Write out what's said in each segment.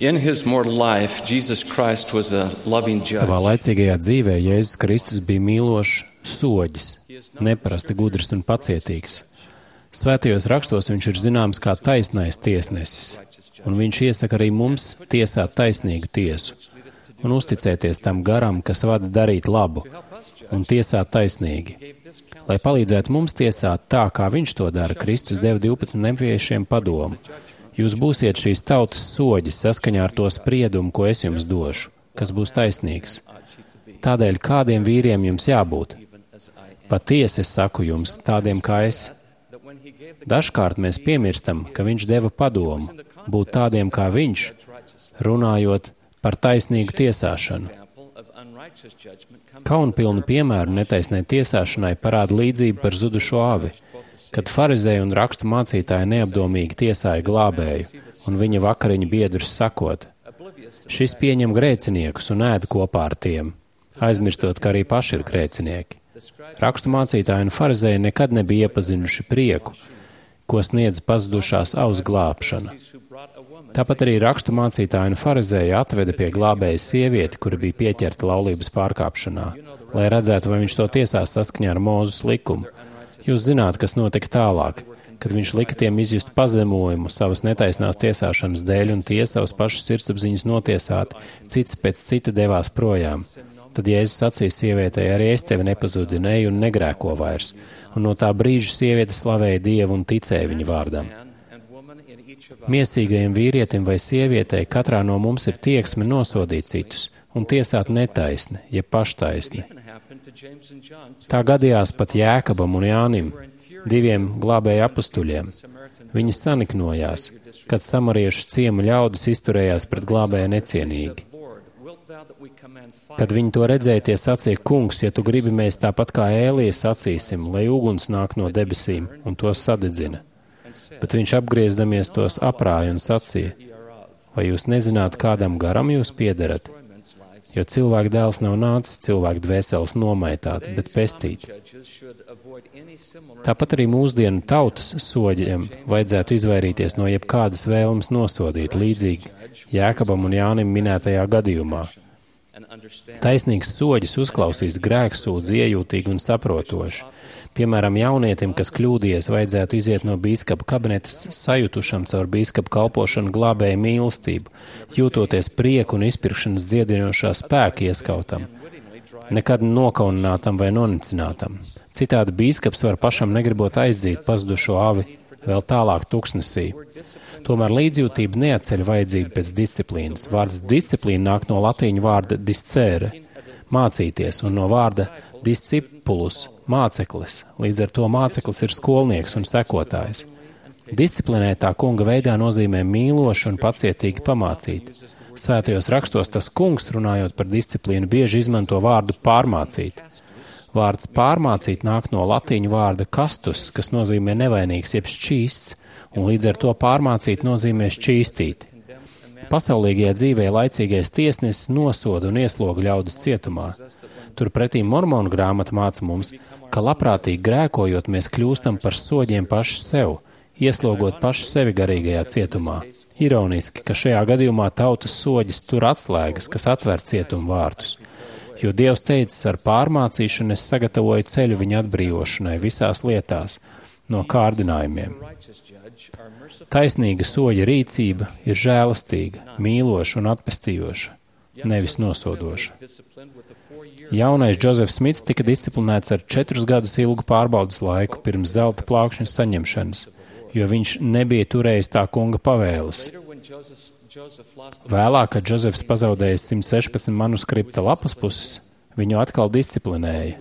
In his mortal life, Jesus Christ was a loving judge. Savā laicīgajā dzīvē Jēzus Kristus bija mīlošs soģis, neparasti gudrs un pacietīgs. Svētajos rakstos viņš ir zināms kā taisnais tiesnesis, un viņš iesaka arī mums tiesāt taisnīgu tiesu un uzticēties tam garam, kas vada darīt labu un tiesāt taisnīgi. Lai palīdzētu mums tiesāt tā, kā viņš to dara, Kristus deva 12 neviešiem padomu. Jūs būsiet šīs tautas soģis saskaņā ar to spriedumu, ko es jums došu, kas būs taisnīgs. Tādēļ kādiem vīriem jums jābūt? Patiesi es saku jums, tādiem kā es. Dažkārt mēs piemirstam, ka viņš deva padomu, būt tādiem kā viņš, runājot par taisnīgu tiesāšanu. Kaunpilnu piemēru netaisnai tiesāšanai parāda līdzība par zudušo avi, kad farizēji un rakstu mācītāji neapdomīgi tiesāja glābēju un viņa vakariņu biedrus sakot: šis pieņem grēciniekus un ēd kopā ar tiem, aizmirstot, ka arī paši ir grēcinieki. Rakstu mācītāji un farizēji nekad nebija iepazinuši prieku, ko sniedz pazudušās avas glābšana. Tāpat arī rakstu mācītāji un farizēji atveda pie glābējas sievieti, kura bija pieķerta laulības pārkāpšanā, lai redzētu, vai viņš to tiesās saskaņā ar Mūzes likumu. Jūs zināt, kas notika tālāk, kad viņš lika tiem izjust pazemojumu savas netaisnās tiesāšanas dēļ un tie savas pašas sirdsapziņas notiesāti, cits pēc cita devās projām. Tad Jēzus sacīja sievietei: arī es tevi nepazudināju un negrēko vairs, un no tā brīža sieviete slavēja Dievu un ticēja viņa vārdam. Miesīgajam vīrietim vai sievietei katrā no mums ir tieksme nosodīt citus un tiesāt netaisni, jeb paštaisni. Tā gadījās pat Jēkabam un Jānim, diviem glābēju apustuļiem. Viņi saniknojās, kad samariešu ciema ļaudis izturējās pret glābēju necienīgi. Kad viņi to redzēja, tie sacīja: kungs, ja tu gribi, mēs tāpat kā Ēlija sacīsim, lai uguns nāk no debesīm un tos sadedzina. Bet viņš apgriezdamies tos aprāja un sacīja: vai jūs nezināt, kādam garam jūs piederat? Jo cilvēka dēls nav nācis cilvēku dvēseles nomaitāt, bet pestīt. Tāpat arī mūsdienu tautas soģiem vajadzētu izvairīties no jebkādas vēlmes nosodīt, līdzīgi Jēkabam un Jānim minētajā gadījumā. Taisnīgs soģis uzklausīs grēksūdzi iejūtīgi un saprotoši. Piemēram, jaunietim, kas kļūdījies, vajadzētu iziet no bīskapa kabinetes sajutušam caur bīskapa kalpošanu glābēja mīlestību, jūtoties prieku un izpirkšanas dziedinošā spēka ieskautam, nekad nokauninātam vai nonicinātam. Citādi bīskaps var pašam negribot aizdzīt pazudušo avi vēl tālāk tuksnesī. Tomēr līdzjūtība neatceļ vajadzību pēc disciplīnas. Vārds disciplīna nāk no latīņu vārda discere, mācīties, un no vārda discipulus, māceklis. Līdz ar to māceklis ir skolnieks un sekotājs. Disciplinētā kunga veidā nozīmē mīloši un pacietīgi pamācīt. Svētajos rakstos tas kungs, runājot par disciplīnu, bieži izmanto vārdu pārmācīt. Vārds pārmācīt nāk no latīņu vārda castus, kas nozīmē nevainīgs jeb šķīsts, un līdz ar to pārmācīt nozīmē šķīstīt. Pasaulīgajā dzīvē laicīgais tiesnesis nosoda un iesloga ļaudis cietumā. Turpretī Mormonu grāmata māca mums, ka labprātīgi grēkojot mēs kļūstam par soģiem paši sev, ieslogot paši sevi garīgajā cietumā. Ironiski, ka šajā gadījumā tautas soģis tur atslēgas, kas atver cietumu vārtus. Jo Dievs teicis, ar pārmācīšanu es sagatavoju ceļu viņa atbrīvošanai visās lietās, no kārdinājumiem. Taisnīga soļa rīcība ir žēlastīga, mīloša un atpestījoša, nevis nosodoša. Jaunais Džozefs Smits tika disciplinēts ar 4 gadus ilgu pārbaudas laiku pirms zelta plākšņas saņemšanas, jo viņš nebija turējis tā kunga pavēles. Vēlāk, kad Džozefs pazaudēja 116 manuskripta lapas puses, viņu atkal disciplinēja.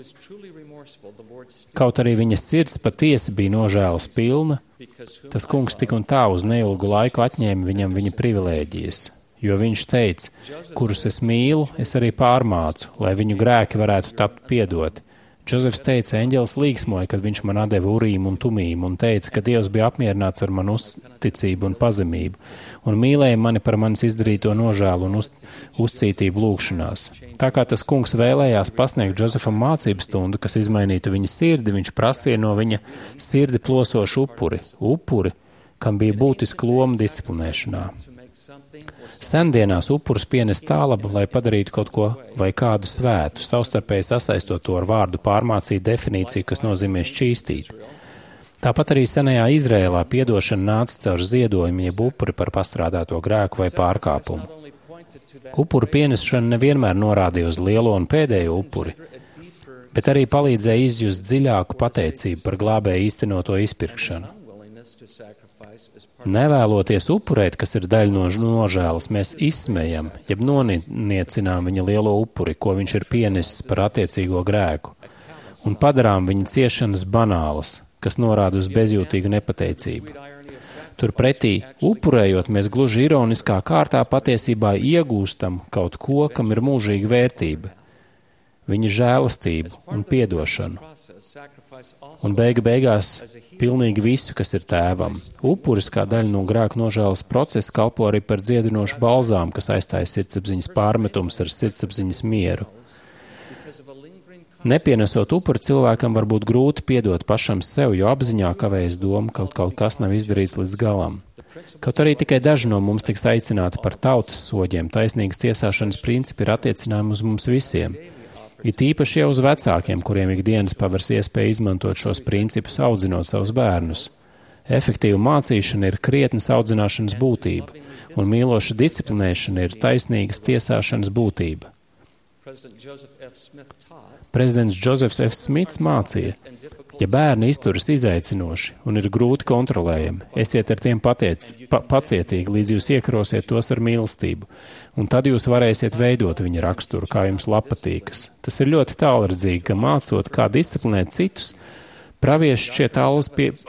Kaut arī viņa sirds patiesi bija nožēlas pilna, tas kungs tik un tā uz neilgu laiku atņēma viņam viņa privilēģijas, jo viņš teica, kurus es mīlu, es arī pārmācu, lai viņu grēki varētu tapt piedoti. Džozefs teica, eņģelis līksmoja, kad viņš man atdeva urīmu un tumīmu un teica, ka Dievs bija apmierināts ar manu uzticību un pazemību un mīlēja mani par manis izdarīto nožēlu un uzcītību lūgšanās. Tā kā tas kungs vēlējās pasniegt Džozefam mācību stundu, kas izmainītu viņa sirdi, viņš prasīja no viņa sirdi plosošu upuri, kam bija būtiska loma disciplinēšanā. Sendienās upurus pienes tālaba, lai padarītu kaut ko vai kādu svētu, savstarpēji sasaistot to ar vārdu pārmācīt definīciju, kas nozīmē šķīstīt. Tāpat arī senajā Izrēlā piedošana nāca caur ziedojumu, jeb upuri par pastrādāto grēku vai pārkāpumu. Upuru pienešana nevienmēr norādīja uz lielo un pēdējo upuri, bet arī palīdzēja izjust dziļāku pateicību par glābēju īstenoto izpirkšanu. Nevēloties upurēt, kas ir daļa no nožēlas, mēs izsmejam, jeb noniecinām viņa lielo upuri, ko viņš ir pienesis par attiecīgo grēku, un padarām viņa ciešanas banālas, kas norāda uz bezjūtīgu nepateicību. Turpretī, upurējot, mēs gluži ironiskā kārtā patiesībā iegūstam kaut ko, kam ir mūžīga vērtība, viņa žēlastību un piedošanu. Un beigās pilnīgi visu, kas ir tēvam. Upuris kā daļa no grēku nožēlas procesa kalpo arī par dziedinošu balzām, kas aizstāja sirdsapziņas pārmetums ar sirdsapziņas mieru. Nepienesot upuri, cilvēkam var būt grūti piedot pašam sev, jo apziņā kavējas doma, ka kaut kas nav izdarīts līdz galam. Kaut arī tikai daži no mums tiks aicināti par tautas soģiem, taisnīgas tiesāšanas principi ir attiecinājumi uz mums visiem. It īpaši jau uz vecākiem, kuriem ikdienas pavers iespēja izmantot šos principus, audzinot savus bērnus. Efektīva mācīšana ir krietnes audzināšanas būtība, un mīloša disciplinēšana ir taisnīgas tiesāšanas būtība. Prezidents Džozefs F. Smits mācīja, ja bērni izturas izaicinoši un ir grūti kontrolējami, esiet ar tiem pacietīgi, līdz jūs iekarosiet tos ar mīlestību, un tad jūs varēsiet veidot viņa raksturu, kā jums patīkas. Tas ir ļoti tālredzīgi, ka mācot, kā disciplinēt citus, pravieši šķiet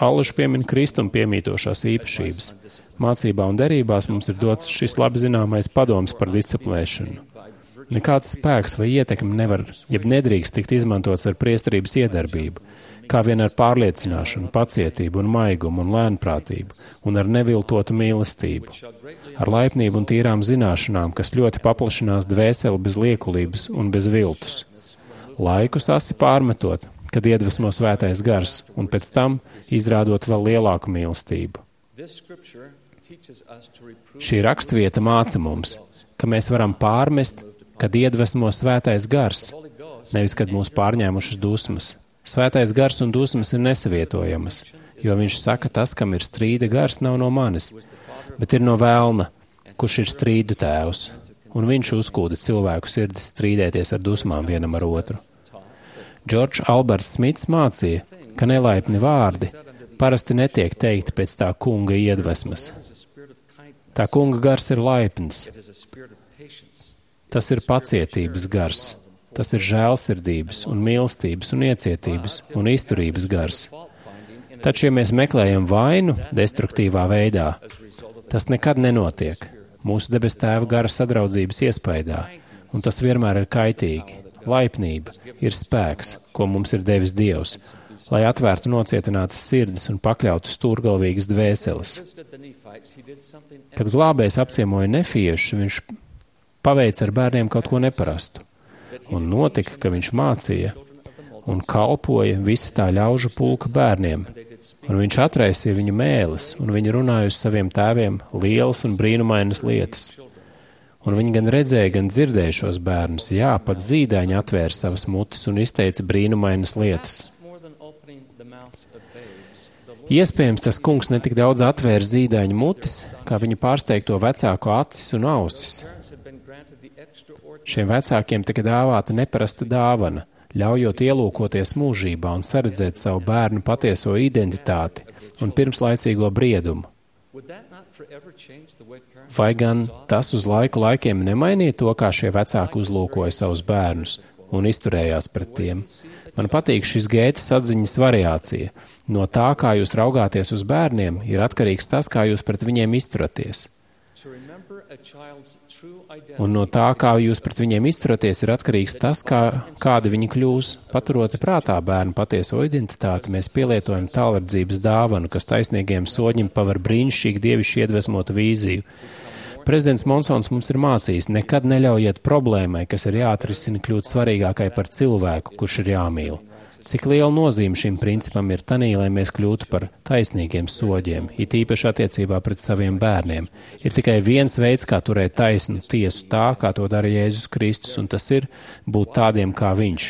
allaži piemin Kristum piemītošās īpašības. Mācībā un derībās mums ir dots šis labi zināmais padoms par disciplinēšanu. Nekāds spēks vai ietekme nevar, jeb nedrīkst tikt izmantots ar priesterības iedarbību, kā vien ar pārliecināšanu, pacietību un maigumu un lēnprātību, un ar neviltotu mīlestību, ar laipnību un tīrām zināšanām, kas ļoti paplašinās dvēseli bez liekulības un bez viltus. Laikus asi pārmetot, kad iedvesmo svētais gars, un pēc tam izrādot vēl lielāku mīlestību. Šī rakstvieta māca mums, ka mēs varam pārmest, kad iedvesmo svētais gars, nevis kad mūs pārņēmušas dusmas. Svētais gars un dusmas ir nesavietojamas, jo viņš saka, tas, kam ir strīda gars, nav no manis, bet ir no vēlna, kurš ir strīdu tēvs, un viņš uzkūda cilvēku sirdis strīdēties ar dusmām vienam ar otru. Džordžs Alberts Smits mācīja, ka nelaipni vārdi parasti netiek teikti pēc tā kunga iedvesmas. Tā kunga gars ir laipns. Tas ir pacietības gars, tas ir žēlsirdības un mīlestības un iecietības un izturības gars. Taču, ja mēs meklējam vainu destruktīvā veidā, tas nekad nenotiek mūsu debes tēva gara sadraudzības iespaidā, un tas vienmēr ir kaitīgi. Laipnība ir spēks, ko mums ir devis Dievs, lai atvērtu nocietinātas sirdis un pakļautu stūrgalvīgas dvēseles. Kad glābējs apciemoja nefiešus, viņš paveica ar bērniem kaut ko neparastu, un notika, ka viņš mācīja un kalpoja visa tā ļaužu pulka bērniem, un viņš atraisīja viņu mēles, un viņi runāja uz saviem tēviem lielas un brīnumainas lietas. Un viņi gan redzēja, gan dzirdēja šos bērnus, jā, pat zīdaiņi atvēra savas mutes un izteica brīnumainas lietas. Iespējams, tas kungs netik daudz atvēra zīdaiņu mutes, kā viņa pārsteigto vecāko acis un ausis. Šiem vecākiem tika dāvāta neparasta dāvana, ļaujot ielūkoties mūžībā un saredzēt savu bērnu patieso identitāti un pirmslaicīgo briedumu. Vai gan tas uz laikiem nemainīja to, kā šie vecāki uzlūkoja savus bērnus un izturējās pret tiem? Man patīk šis Gētes atziņas variācija. No tā, kā jūs raugāties uz bērniem, ir atkarīgs tas, kā jūs pret viņiem izturaties. Un no tā, kā jūs pret viņiem izturaties, ir atkarīgs tas, kādi viņi kļūs. Paturot prātā bērnu patieso identitāti, mēs pielietojam tālredzības dāvanu, kas taisnīgiem soļiem paver brīnišķīgi dievišķi iedvesmotu vīziju. Prezidents Monsons mums ir mācījis, nekad neļaujiet problēmai, kas ir jāatrisina, kļūt svarīgākai par cilvēku, kurš ir jāmīl. Cik liela nozīme šim principam ir tanī, lai mēs kļūtu par taisnīgiem soģiem, it īpaši attiecībā pret saviem bērniem. Ir tikai viens veids, kā turēt taisnu tiesu tā, kā to dara Jēzus Kristus, un tas ir būt tādiem kā viņš.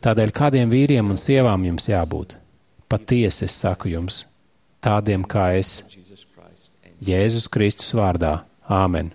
Tādēļ kādiem vīriem un sievām jums jābūt? Patiesi es saku jums, tādiem kā es. Jēzus Kristus vārdā. Āmen.